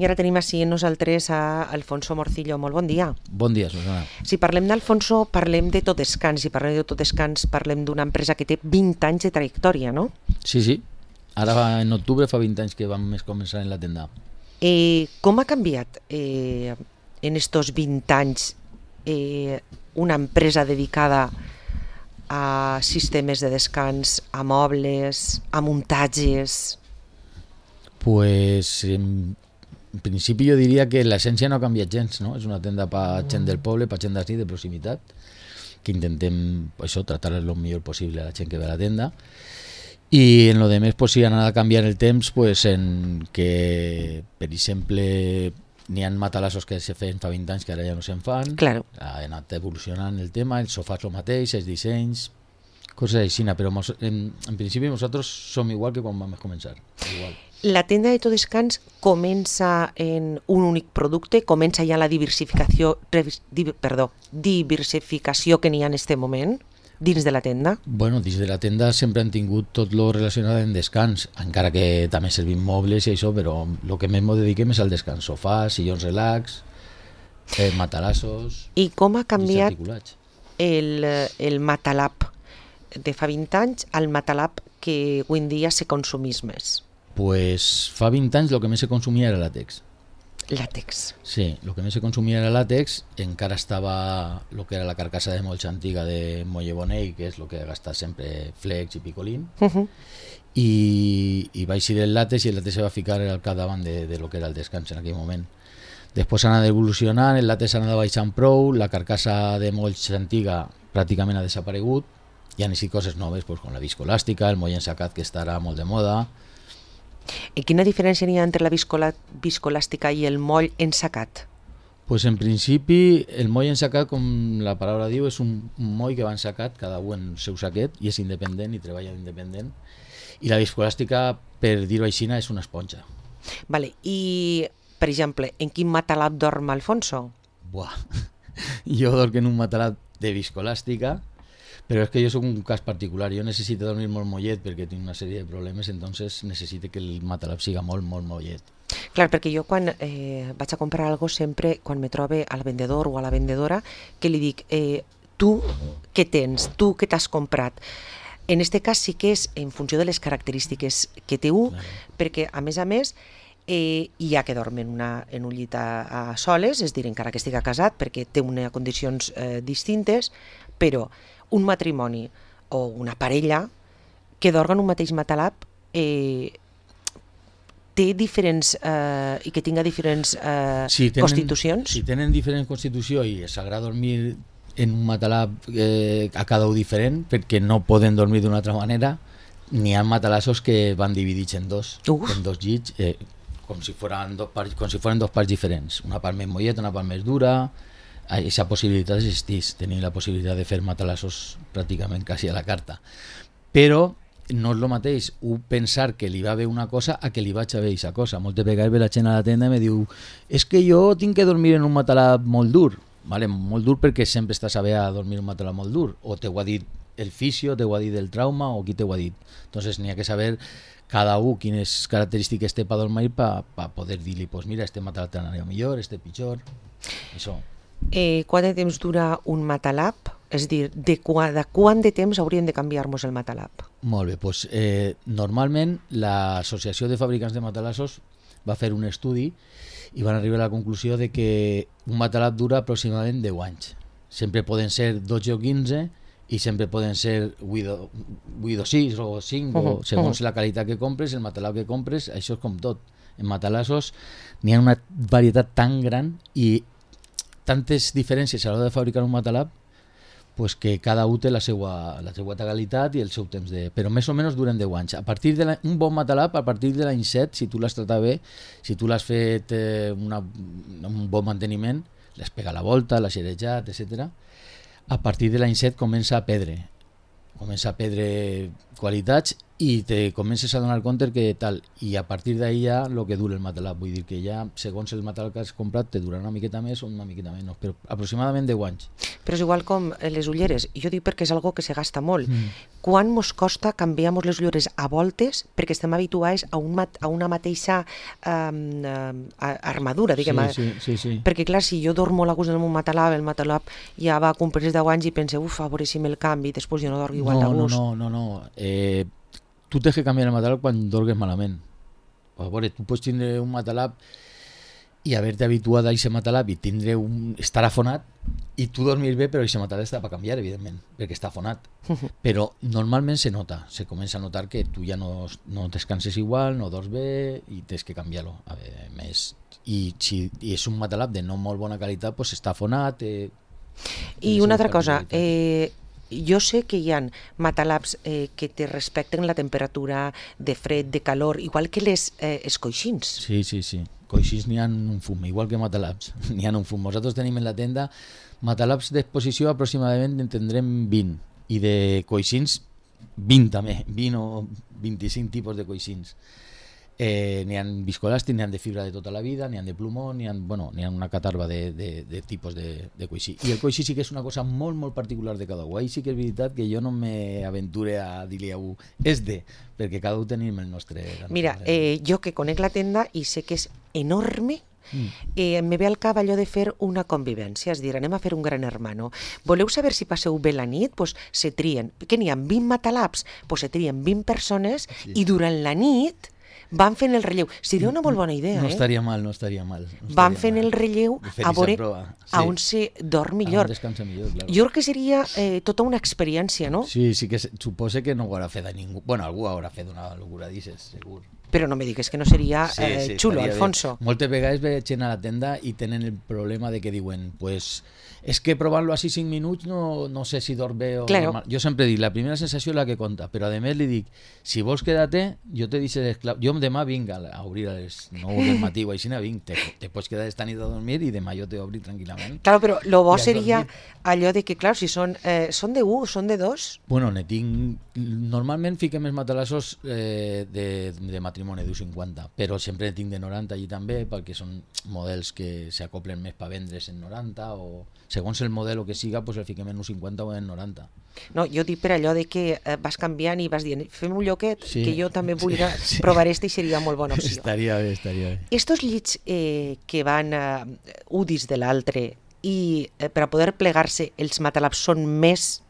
I ara tenim així nosaltres a Alfonso Morcillo. Molt bon dia. Bon dia, Susana. Si parlem d'Alfonso, parlem de Totescans. Si parlem de Totescans, parlem d'una empresa que té 20 anys de trajectòria, no? Sí. Ara en octubre fa 20 anys que vam començar en la tenda. Com ha canviat en estos 20 anys una empresa dedicada a sistemes de descans, a mobles, a muntatges? Pues en principi jo diria que l'essència no ha canviat gens, no? És una tenda per gent del poble, per gent d'ací, de proximitat, que intentem això, tratar el millor possible a la gent que ve a la tenda. I en lo de més, pues, sí, ha anat a canviar el temps, pues, en que, per exemple, n'hi ha matalassos que se feien fa 20 anys que ara ja no se'n fan. Claro. Ha anat evolucionant el tema, els sofàs el mateix, els dissenys, coses així, però en principi nosaltres som igual que quan vam començar. Igual. La tenda de Totescans comença en un únic producte, comença ja la diversificació que n'hi ha en aquest moment dins de la tenda? Bueno, dins de la tenda sempre han tingut tot lo relacionat amb descans, encara que també servim mobles i això, però el que més ens dediquem és al descans, sofàs, sillons relax, matalassos... I com ha canviat el Matalab de fa 20 anys al Matalab que avui en dia se consumís més? Pues fa 20 anys el que més se consumia era làtex. Làtex. Sí, el que més se consumia era làtex, encara estava el que era la carcassa de molls antiga de Molle Bonell, que és el que ha gastat sempre Flex i Picolín, i va eixir el làtex i el làtex se va ficar al capdavant de lo que era el descans en aquell moment. Després ha anat evolucionant, el làtex ha anat baixant prou, la carcassa de molls antiga pràcticament ha desaparegut, hi ha així coses noves, pues, com la viscolàstica, el moll ensacat, que estarà molt de moda. I quina diferència n'hi ha entre la viscolàstica i el moll ensacat? Pues en principi el moll ensacat, com la paraula diu, és un moll que va ensacat, cada un en el seu saquet, i és independent i treballa independent. I la viscolàstica, per dir-ho així, és una esponja. Vale. I, per exemple, en quin matalab dorm Alfonso? Buah, jo dorm en un matalab de viscolàstica, però és que jo soc un cas particular, jo necessito dormir molt mollet perquè tinc una sèrie de problemes, entonces necessito que el matalab siga molt mollet. Clar, perquè jo quan vaig a comprar alguna cosa sempre, quan me trobe al vendedor o a la vendedora, que li dic, tu què tens, tu què t'has comprat? En aquest cas sí que és en funció de les característiques que té un, perquè a més, hi ha que dorm en un llit a soles, és a dir, encara que estigui casat, perquè té unes condicions distintes, però un matrimoni o una parella que dorm en un mateix matalab té diferents i que tinga diferents constitucions? Si tenen diferent constitució i s'agrada dormir en un matalab a cada un diferent, perquè no poden dormir d'una altra manera, n'hi ha matalassos que van dividits en dos llits, com si foren dos parts diferents, una part més molleta, una part més dura. Aquesta possibilitat existeix, tenir la possibilitat de fer matalassos pràcticament quasi a la carta, però no és el mateix pensar que li va bé una cosa a que li vaig a bé aquesta cosa. Moltes vegades ve la gent a la tenda i me diu, és que jo tinc que dormir en un matalab molt dur. Vale, molt dur perquè sempre estàs a bé a dormir en un matalab molt dur, o t'ho ha dit el fisio, t'ho ha dit el trauma, o qui t'ho ha dit. Entonces n'hi ha que saber cada un quines característiques té per dormir per poder dir-li, pues mira, este matalab t'anarà millor, este pitjor, això. Quant de temps dura un matalab? És a dir, de quant de temps hauríem de canviar-nos el matalab? Molt bé, doncs normalment l'Associació de Fabricants de Matalassos va fer un estudi i van arribar a la conclusió de que un matalab dura aproximadament 10 anys. Sempre poden ser 12 o 15 i sempre poden ser 8 o 6 o 5, o segons la qualitat que compres, el matalab que compres, això és com tot. En matalassos n'hi ha una varietat tan gran i tantes diferències a l'hora de fabricar un matalab, pues que cada un té la seva qualitat i el seu temps de... Però més o menys duren 10 anys. A partir de un bon matalab, a partir de l'any 7, si tu l'has tratat bé, si tu l'has fet un bon manteniment, l'has pegat la volta, l'has xerejat, etc. A partir de l'any 7 comença a perdre qualitats i te comences a donar compte que tal, i a partir d'ahí ja el que dura el matalab, vull dir que ja segons el matalab que has comprat te durarà una miqueta més o una miqueta menys, però aproximadament 10 anys. Però és igual com les ulleres, jo dic perquè és algo que se gasta molt. Quan mos costa canviar-nos les ulleres a voltes perquè estem habituats a una mateixa armadura, diguem. Sí. Perquè clar, si jo dormo a la gust del meu matalab, el matalab ja va complir 10 anys i pense, a veure si me'l canvi, després jo no dormo igual de gust. No. Tu tens que canviar el matalab quan dorgues malament. A veure, tu pots tindre un matalab i haver-te habituat a aquest matalab i estar afonat i tu dormir bé, però aquest matalab està per canviar, evidentment, perquè està afonat. Però normalment se nota, se comença a notar que tu ja no descanses igual, no dors bé i tens que canviar-lo. A veure, més. I si és un matalab de no molt bona qualitat, doncs està afonat. I una altra cosa, jo sé que hi ha matalabs que te respecten la temperatura de fred, de calor, igual que els coixins. Sí. Coixins n'hi ha un fum, igual que matalabs, n'hi ha un fum. Nosaltres tenim en la tenda matalabs d'exposició aproximadament en tindrem 20 i de coixins 20 també, 20 o 25 tipus de coixins. N'hi ha viscoelàstic, n'hi ha de fibra de tota la vida, n'hi ha de plomó, n'hi ha una catarba de tipus de coixí. I el coixí sí que és una cosa molt, molt particular de cada un. Ahí sí que és veritat que jo no m'aventure a dir-li a un perquè cada un tenim el nostre... Mira, jo que conec la tenda i sé que és enorme, me ve al cap allò de fer una convivència, és dir, anem a fer un gran hermano. Voleu saber si passeu bé la nit? Pues se trien, que n'hi ha 20 matalabs, pues se trien 20 persones i durant la nit van fent el relleu. Seria una molt bona idea, no estaria mal. Van fent el relleu a veure a on se dorm millor. A on descansa millor, clar. Jo crec que seria tota una experiència, no? Sí, que suposa que no ho haurà fet a ningú. Bueno, algú haurà fet una locura d'aixes, segur. Però no me digues que no seria xulo, Alfonso. Moltes vegades veig gent a la tenda i tenen el problema de que diuen, pues, és que provant-lo així 5 minuts no sé si dorm bé o claro. Normal. Jo sempre dic, la primera sensació és la que compta, però a més li dic, si vols quedar-te, jo te deixo l'esclau. Jo demà vinc a obrir a les 9 del matí o així, te pots quedar esta nit a dormir i demà jo t'obri tranquil·lament. Claro, però lo bo seria allò de que, clar, si són de 1 o són de 2? Bueno, normalment fiquem els matalassos de matrimoni d'1,50, però sempre tinc de 90 allí també, perquè són models que s'acoplen més per vendre's en 90 o segons el model o que siga, pues el fiquem en 1,50 o en 90. No, jo dic per allò de que vas canviant i vas dient, fem un lloquet, que jo també vull provar i seria molt bona opció. Estaria bé. Estos llits que van un dins de l'altre i per a poder plegar-se els matalabs són més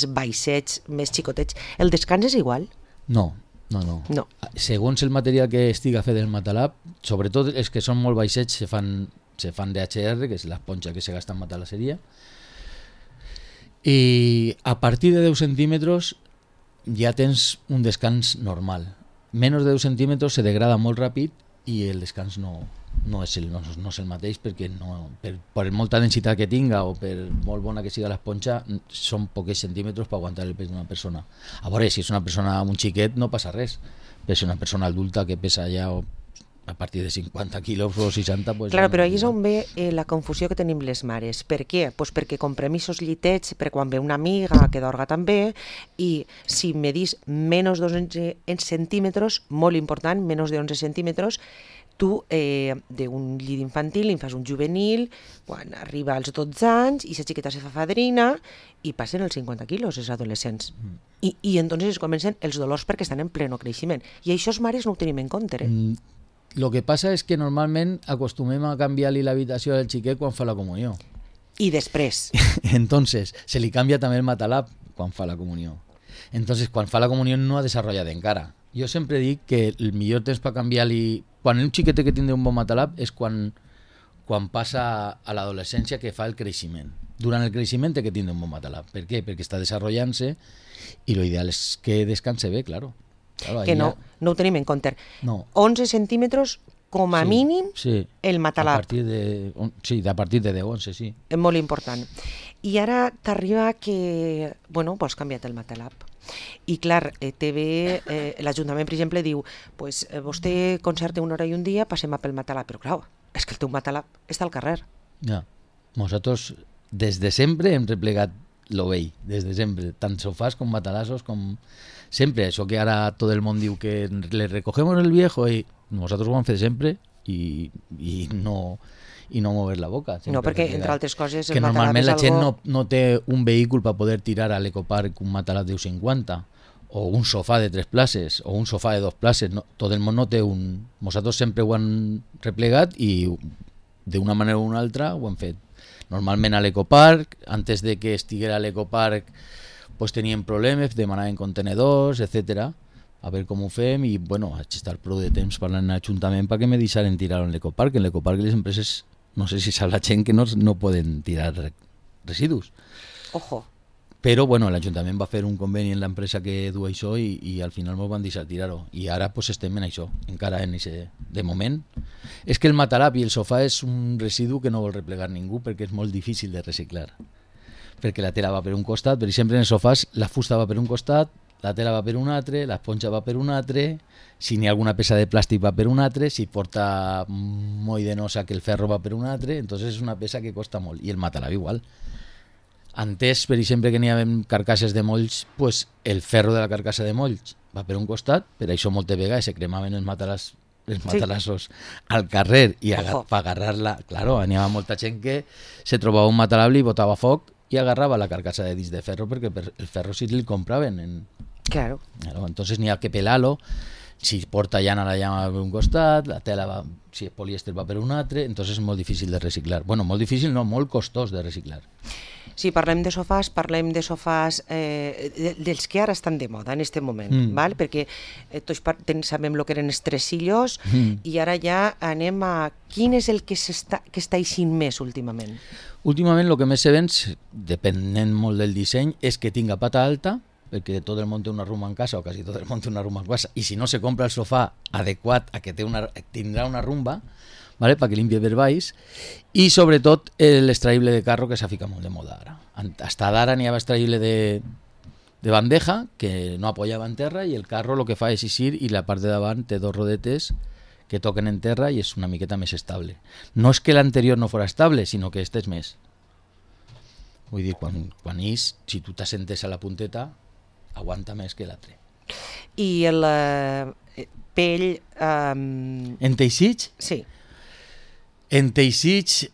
baixets, més xicotets, el descans és igual? No. Segons el material que estiga fet del matalab, sobretot els que són molt baixets se fan d'HR, que és l'esponja que se gasta en matalasseria, i a partir de 10 centímetres ja tens un descans normal. Menys de 10 centímetres se degrada molt ràpid i el descans no és el mateix, perquè per molta densitat que tinga o per molt bona que siga l'esponja, són pocs centímetres per aguantar el pes d'una persona. A veure, si és una persona amb un xiquet no passa res, però si és una persona adulta que pesa ja a partir de 50 quilos o 60... Pues claro, però ahí és on ve la confusió que tenim les mares. Per què? Pues perquè comprem aquests llitets per quan ve una amiga que dorga també, i si medís menys de 11 centímetres, molt important, menys de 11 centímetres, tu d'un llit infantil en fas un juvenil, quan arriba als 12 anys, i la xiqueta se fa fadrina i passen els 50 quilos, els adolescents. I entonces comencen els dolors perquè estan en pleno creixement. I això els mares no ho tenim en compte. Lo que passa és que normalment acostumem a canviar-li l'habitació al xiquet quan fa la comunió. I després? Entonces, se li canvia també el matalab quan fa la comunió. Entonces, quan fa la comunió no ha desenvolupat encara. Jo sempre dic que el millor temps per canviar-li... Quan un xiquet que tindre un bon matalab és quan passa a l'adolescència, que fa el creixement. Durant el creixement té que tindre un bon matalab. Per què? Perquè està desenvolupant-se i l'ideal és que descanse bé, claro. Claro, que no ho tenim en compte. No. 11 centímetres com a mínim el matalab. A partir de 10, 11, sí. És molt important. I ara t'arriba que, vols canviar el matalab. I clar, l'Ajuntament, per exemple, diu, pues vostè concerta una hora i un dia, passem a pel matalab. Però clar, és que el teu matalab està al carrer. Ja. Nosaltres des de sempre hem replegat lo vell, des de sempre, tant sofàs com matalassos, com sempre. Això que ara tot el món diu que le recogemos el viejo, i nosaltres ho vam fer sempre i no mover la boca. No, perquè entre altres coses que normalment la gent no té un vehicle per poder tirar a l'ecoparc un matalàs de 50 o un sofà de 3 places o un sofà de 2 places. No, tot el món no té un... Nosaltres sempre ho han replegat i d'una manera o una altra ho hem fet. Normalment a l'ecoparc, antes de que estiguera a l'ecoparc, pues teníem problemes, demanaven contenedors, etc. A veure com ho fem, i bueno, vaig estar prou de temps parlant en l'Ajuntament perquè me deixaren tirar en l'ecoparc. En l'ecoparc les empreses, no sé si sap la gent, que no poden tirar residus. Ojo. Però bueno, l'Ajuntament va fer un conveni en l'empresa que du això i al final ens van deixar tirar-ho. I ara pues estem en això, encara en ese, de moment. És que el matalàs i el sofà és un residu que no vol replegar ningú perquè és molt difícil de reciclar. Perquè la tela va per un costat, per exemple en els sofàs la fusta va per un costat, la tela va per un altre, l'esponja va per un altre, si n'hi ha alguna peça de plàstic va per un altre, si porta moll de nosa que el ferro va per un altre, entonces és una peça que costa molt. I el matalàs igual. Antes, per exemple, que n'hi havia carcasses de molls, pues el ferro de la carcassa de molls va per un costat, per això moltes vegades se cremaven els matalassos al carrer i per agarrar-la, claro, n'hi havia molta gent que se trobava un matalàs i botava foc i agarrava la carcassa de disc de ferro perquè el ferro sí el compraven. Claro. Entonces n'hi ha que pelar-lo. Si porta llana, la llana va per un costat, la tela va, si és polièster va per un altre, entonces és molt difícil de reciclar. Bueno, molt difícil no, molt costós de reciclar. Si parlem de sofàs dels que ara estan de moda en aquest moment, val? Perquè tots sabem el que eren els tresillos i ara ja anem a quin és el que està eixint més últimament. Últimament el que més se ven, depenent molt del disseny, és que tinga pata alta, perquè tot el món té una rumba en casa, o quasi tot el món té una rumba en casa, i si no se compra el sofà adequat a que tindrà una rumba, ¿vale? Para que limpie per baix, i sobretot l'extraïble de carro, que s'ha ficat molt de moda ara. Hasta ara n'hi havia extraïble de bandeja, que no apoyava en terra, i el carro el que fa és eixir, i la part de davant té 2 rodetes que toquen en terra i és una miqueta més estable. No és que l'anterior no fos estable, sinó que este és més. Vull dir, quan ix, si tu t'assentes a la punteta, aguanta més que l'altre. I el pell... En teixits? Sí. En teixits,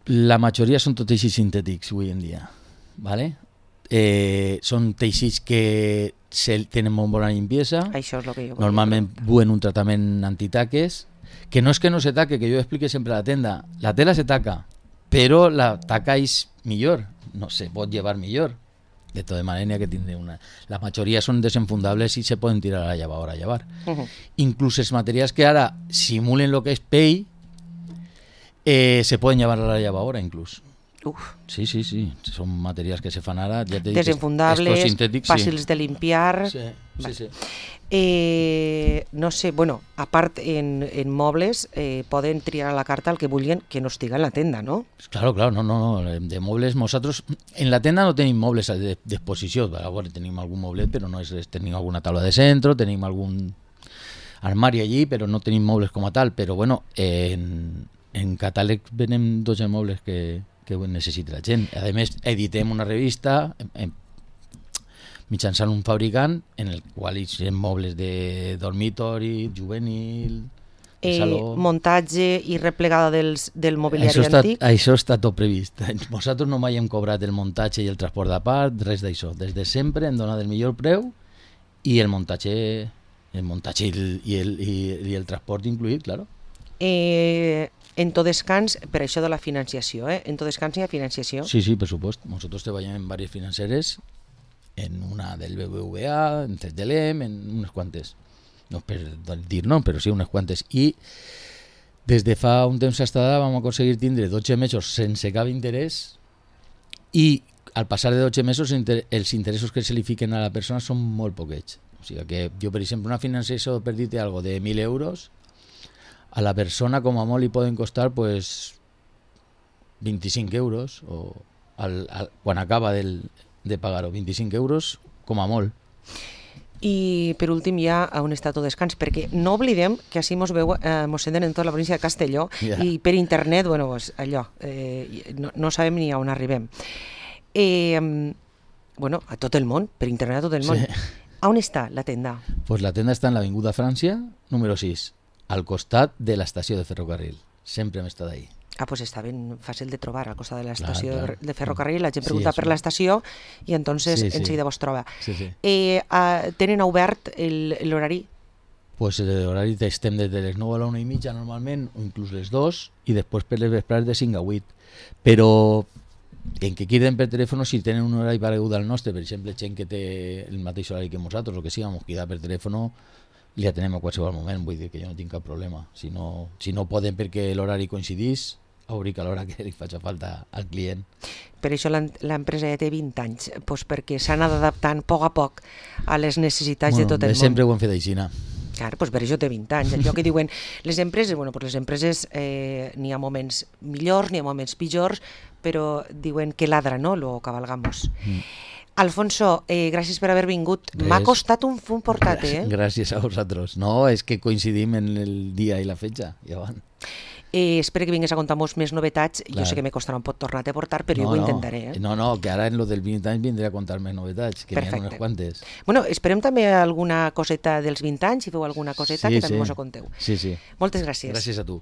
la majoria són tots teixits sintètics avui en dia, ¿vale? Són teixits que tenen molt bona limpiesa. Això és el que jo normalment duen un tractament antitaques, que no és que no se taque, que jo explique sempre a la tenda, la tela se taca, però la taca és millor, no se pot llevar millor. De tota manera que tindré una... La majoria són desenfundables i se poden tirar a la llavadora a llevar. Inclús els materials que ara simulen el que és pell se poden llevar a la llavadora inclús. Sí. Són materials que se fan ara. Ja desenfundables, fàcils de limpiar. Sí. No sé, bueno, a part en mobles poden triar a la carta el que vulguin que no estiga en la tenda, no? Claro, no. De mobles, nosaltres en la tenda no tenim mobles d'exposició. Tenim algun moblet, però no és res. Tenim alguna taula de centre, tenim algun armari allí, però no tenim mobles com a tal. Però bueno, en catàleg venem 12 mobles que necessita la gent. A més, editem una revista mitjançant un fabricant en el qual hi ha mobles de dormitori, juvenil, de saló... Muntatge i replegada del mobiliari antic? Això està tot previst. Nosaltres no mai hem cobrat el muntatge i el transport de part, res d'això. Des de sempre hem donat el millor preu i el muntatge i el transport incluït, claro. En tot descans, per això de la financiació, en tot descans hi ha financiació? Sí, per supuesto. Nosotros treballem en diverses financeres, en una del BBVA, en tres de l'EM, en unes quantes. No per dir no, però sí unes quantes. I des de fa un temps estada vam aconseguir tindre 12 mesos sense cap interès i al passar de 12 mesos els interessos que se li fiquen a la persona són molt poquets. O sigui que jo, per exemple, una financiació, per dir-te algo, de 1.000 euros, a la persona com a molt li poden costar pues 25 euros o quan acaba de pagar-ho, 25 euros com a molt. I per últim ja a un estat o descans, perquè no oblidem que així mos senten en tota la província de Castelló i per internet, bueno, pues, allò, no sabem ni on arribem. Bueno, a tot el món, per internet a tot el món. Sí. On està la tenda? Pues la tenda està en l'Avinguda Frància, número 6, al costat de l'estació de ferrocarril. Sempre hem estat ahí. Ah, pues està ben fàcil de trobar al costat de l'estació Clar. de ferrocarril. La gent pregunta per l'estació i entonces enseguida vos troba. Tenen obert l'horari? Pues l'horari estem des de les 9 a la 1:30 normalment, o inclús les 2, i després per les vesprades de 5 a 8. Però en que queden per telèfon, si tenen un horari paregut al nostre, per exemple, gent que té el mateix horari que nosaltres, o que sigui, ens queda per telèfon, li atenem a qualsevol moment, vull dir que jo no tinc cap problema. Si no poden perquè l'horari coincidís, obrir a l'hora que li faci falta al client. Per això l'empresa ja té 20 anys, doncs perquè s'ha anat adaptant a poc a les necessitats de tot el món. Sempre ho hem fet així. Clar, doncs per això té 20 anys. Allò que diuen les empreses, les empreses n'hi ha moments millors, n'hi ha moments pitjors, però diuen que ladra, no?, lo cabalgamos. Alfonso, gràcies per haver vingut. M'ha costat un fum portat, Gràcies a vosaltres. No, és que coincidim en el dia i la fetge. Espero que vingués a contar-nos més novetats. Jo sé que me costarà un pot tornar a portar, però jo ho intentaré. No, que ara en lo del 20 anys vindré a contar més novetats, que n'hi ha unes quantes. Bueno, esperem també alguna coseta dels 20 anys, si feu alguna coseta, que també mos ho conteu. Sí. Moltes gràcies. Gràcies a tu.